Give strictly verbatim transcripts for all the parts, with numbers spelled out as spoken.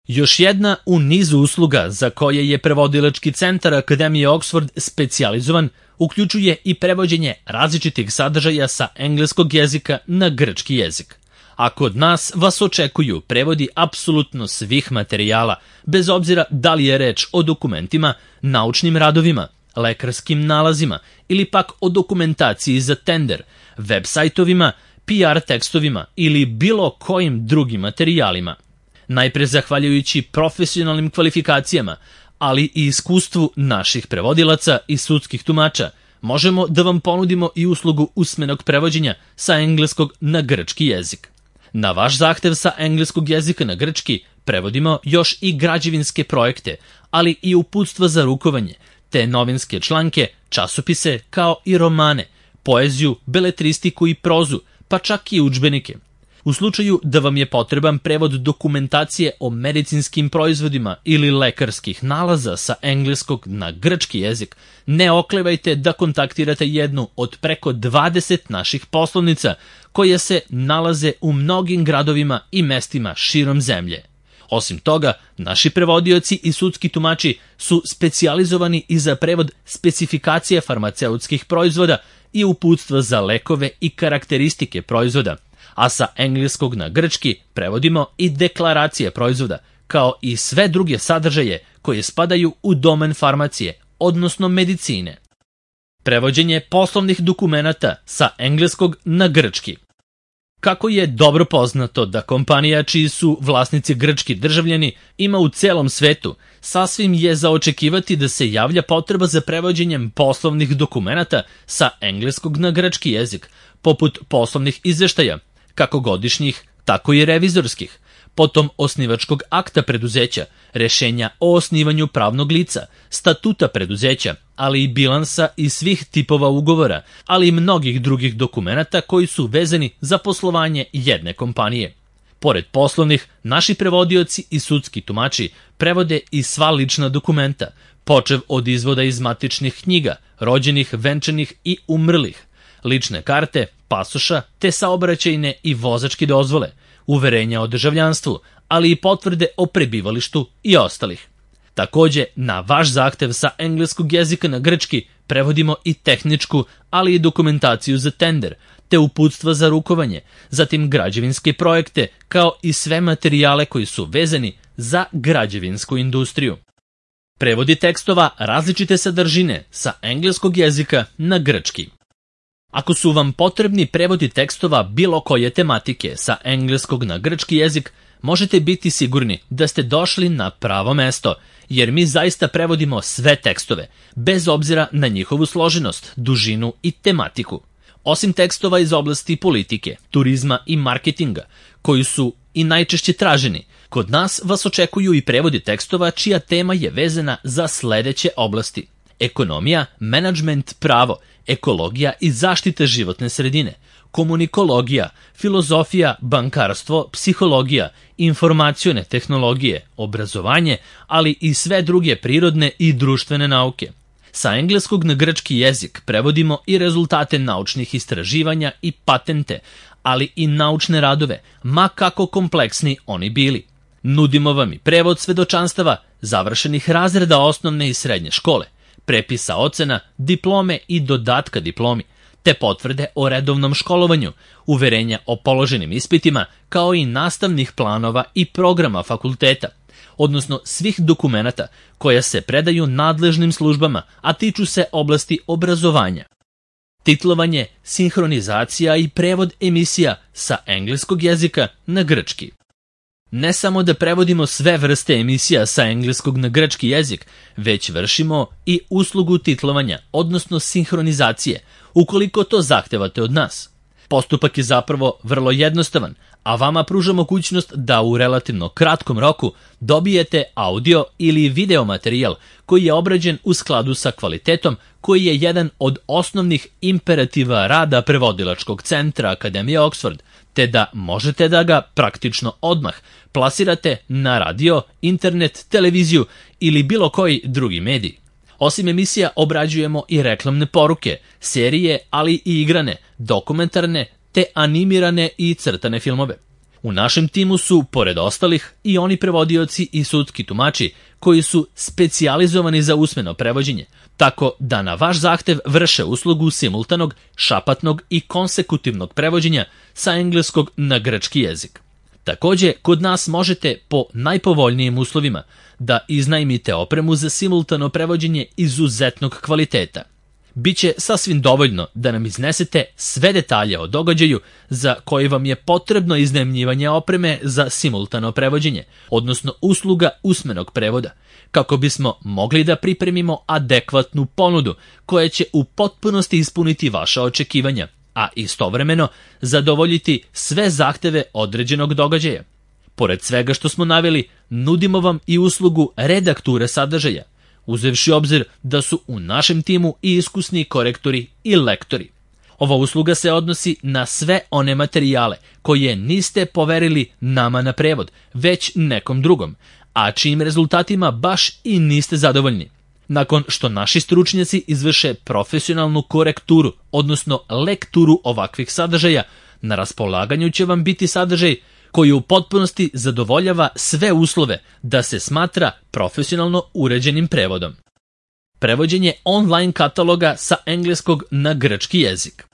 Još jedna u nizu usluga za koje je prevodilački centar Akademije Oxford specijalizovan uključuje i prevođenje različitih sadržaja sa engleskog jezika na grčki jezik. A kod nas vas očekuju prevodi apsolutno svih materijala, bez obzira da li je reč o dokumentima, naučnim radovima, lekarskim nalazima ili pak o dokumentaciji za tender, web sajtovima, P R tekstovima ili bilo kojim drugim materijalima. Najpre zahvaljujući profesionalnim kvalifikacijama, ali i iskustvu naših prevodilaca i sudskih tumača, možemo da vam ponudimo i uslugu usmenog prevođenja sa engleskog na grčki jezik. Na vaš zahtev sa engleskog jezika na grčki prevodimo još i građevinske projekte, ali i uputstva za rukovanje, te novinske članke, časopise kao i romane, poeziju, beletristiku i prozu, pa čak i udžbenike. U slučaju da vam je potreban prevod dokumentacije o medicinskim proizvodima ili lekarskih nalaza sa engleskog na grčki jezik, ne oklevajte da kontaktirate jednu od preko dvadeset naših poslovnica koje se nalaze u mnogim gradovima i mestima širom zemlje. Osim toga, naši prevodioci i sudski tumači su specijalizovani i za prevod specifikacije farmaceutskih proizvoda i uputstva za lekove i karakteristike proizvoda, a sa engleskog na grčki prevodimo i deklaracije proizvoda, kao i sve druge sadržaje koje spadaju u domen farmacije, odnosno medicine. Prevođenje poslovnih dokumenata sa engleskog na grčki. Kako je dobro poznato da kompanija čiji su vlasnici grčki državljani ima u celom svetu, sasvim je za očekivati da se javlja potreba za prevođenjem poslovnih dokumenata sa engleskog na grčki jezik, poput poslovnih izveštaja, kako godišnjih, tako i revizorskih, potom osnivačkog akta preduzeća, rešenja o osnivanju pravnog lica, statuta preduzeća, ali i bilansa i svih tipova ugovora, ali i mnogih drugih dokumenata koji su vezani za poslovanje jedne kompanije. Pored poslovnih, naši prevodioci i sudski tumači prevode i sva lična dokumenta, počev od izvoda iz matičnih knjiga, rođenih, venčanih i umrlih, lične karte, pasoša, te saobraćajne i vozačke dozvole, uverenja o državljanstvu, ali i potvrde o prebivalištu i ostalih. Takođe, na vaš zahtev sa engleskog jezika na grčki prevodimo i tehničku, ali i dokumentaciju za tender, te uputstva za rukovanje, zatim građevinske projekte, kao i sve materijale koji su vezani za građevinsku industriju. Prevodi tekstova različite sadržine sa engleskog jezika na grčki. Ako su vam potrebni prevodi tekstova bilo koje tematike sa engleskog na grčki jezik, možete biti sigurni da ste došli na pravo mesto, jer mi zaista prevodimo sve tekstove, bez obzira na njihovu složenost, dužinu i tematiku. Osim tekstova iz oblasti politike, turizma i marketinga, koji su i najčešće traženi, kod nas vas očekuju i prevodi tekstova čija tema je vezana za sledeće oblasti: ekonomija, menadžment, pravo, ekologija i zaštita životne sredine, komunikologija, filozofija, bankarstvo, psihologija, informacione tehnologije, obrazovanje, ali i sve druge prirodne i društvene nauke. Sa engleskog na grčki jezik prevodimo i rezultate naučnih istraživanja i patente, ali i naučne radove, ma kako kompleksni oni bili. Nudimo vam i prevod svedočanstava, završenih razreda osnovne i srednje škole, prepisa ocena, diplome i dodatka diplomi, te potvrde o redovnom školovanju, uverenja o položenim ispitima, kao i nastavnih planova i programa fakulteta, odnosno svih dokumenata koja se predaju nadležnim službama, a tiču se oblasti obrazovanja. Titlovanje, sinhronizacija i prevod emisija sa engleskog jezika na grčki. Ne samo da prevodimo sve vrste emisija sa engleskog na grčki jezik, već vršimo i uslugu titlovanja, odnosno sinhronizacije, ukoliko to zahtevate od nas. Postupak je zapravo vrlo jednostavan, a vama pruža mogućnost da u relativno kratkom roku dobijete audio ili video materijal koji je obrađen u skladu sa kvalitetom, koji je jedan od osnovnih imperativa rada prevodilačkog centra Akademije Oxford, te da možete da ga praktično odmah plasirate na radio, internet, televiziju ili bilo koji drugi medij. Osim emisija obrađujemo i reklamne poruke, serije, ali i igrane, dokumentarne te animirane i crtane filmove. U našem timu su, pored ostalih, i oni prevodioci i sudski tumači koji su specijalizovani za usmeno prevođenje, tako da na vaš zahtev vrše uslugu simultanog, šapatnog i konsekutivnog prevođenja sa engleskog na grčki jezik. Takođe, kod nas možete po najpovoljnijim uslovima da iznajmite opremu za simultano prevođenje izuzetnog kvaliteta. Biće sasvim dovoljno da nam iznesete sve detalje o događaju za koji vam je potrebno iznajmljivanje opreme za simultano prevođenje, odnosno usluga usmenog prevoda, kako bismo mogli da pripremimo adekvatnu ponudu koja će u potpunosti ispuniti vaša očekivanja, a istovremeno zadovoljiti sve zahteve određenog događaja. Pored svega što smo naveli, nudimo vam i uslugu redakture sadržaja, uzevši obzir da su u našem timu i iskusni korektori i lektori. Ova usluga se odnosi na sve one materijale koje niste poverili nama na prevod, već nekom drugom, a čijim rezultatima baš i niste zadovoljni. Nakon što naši stručnjaci izvrše profesionalnu korekturu, odnosno lekturu ovakvih sadržaja, na raspolaganju će vam biti sadržaj koji u potpunosti zadovoljava sve uslove da se smatra profesionalno uređenim prevodom. Prevođenje online kataloga sa engleskog na grčki jezik.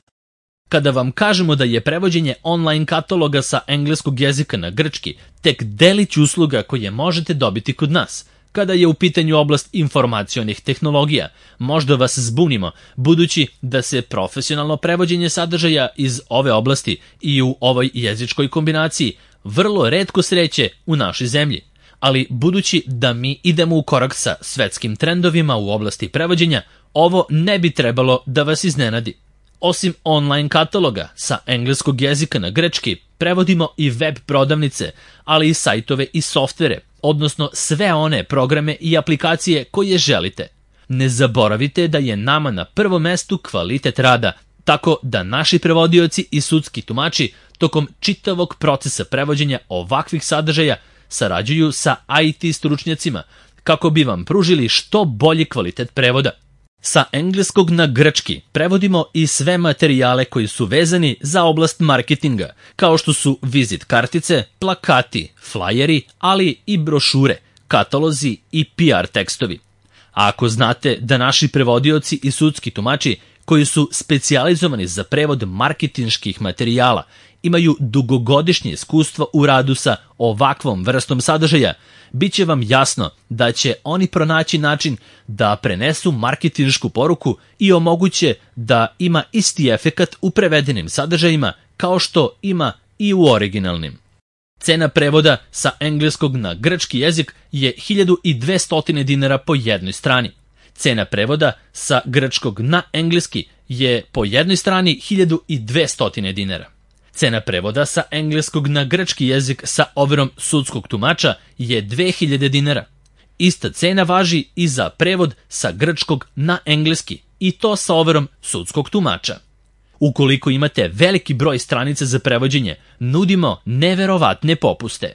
Kada vam kažemo da je prevođenje online kataloga sa engleskog jezika na grčki tek delić usluga koje možete dobiti kod nas, kada je u pitanju oblast informacionih tehnologija, možda vas zbunimo, budući da se profesionalno prevođenje sadržaja iz ove oblasti i u ovoj jezičkoj kombinaciji vrlo retko sreće u našoj zemlji, ali budući da mi idemo u korak sa svetskim trendovima u oblasti prevođenja, ovo ne bi trebalo da vas iznenadi. Osim online kataloga sa engleskog jezika na grčki, prevodimo i web prodavnice, ali i sajtove i softvere, odnosno sve one programe i aplikacije koje želite. Ne zaboravite da je nama na prvom mestu kvalitet rada, tako da naši prevodioci i sudski tumači tokom čitavog procesa prevođenja ovakvih sadržaja sarađuju sa I T stručnjacima kako bi vam pružili što bolji kvalitet prevoda. Sa engleskog na grčki prevodimo i sve materijale koji su vezani za oblast marketinga, kao što su vizit kartice, plakati, flajeri, ali i brošure, katalozi i P R tekstovi. A ako znate da naši prevodioci i sudski tumači koji su specijalizovani za prevod marketinških materijala imaju dugogodišnje iskustvo u radu sa ovakvom vrstom sadržaja, bit će vam jasno da će oni pronaći način da prenesu marketinšku poruku i omoguće da ima isti efekat u prevedenim sadržajima kao što ima i u originalnim. Cena prevoda sa engleskog na grčki jezik je hiljadu dvesta dinara po jednoj strani. Cena prevoda sa grčkog na engleski je po jednoj strani hiljadu dvesta dinara. Cena prevoda sa engleskog na grčki jezik sa overom sudskog tumača je dve hiljade dinara. Ista cena važi i za prevod sa grčkog na engleski, i to sa overom sudskog tumača. Ukoliko imate veliki broj stranica za prevođenje, nudimo neverovatne popuste.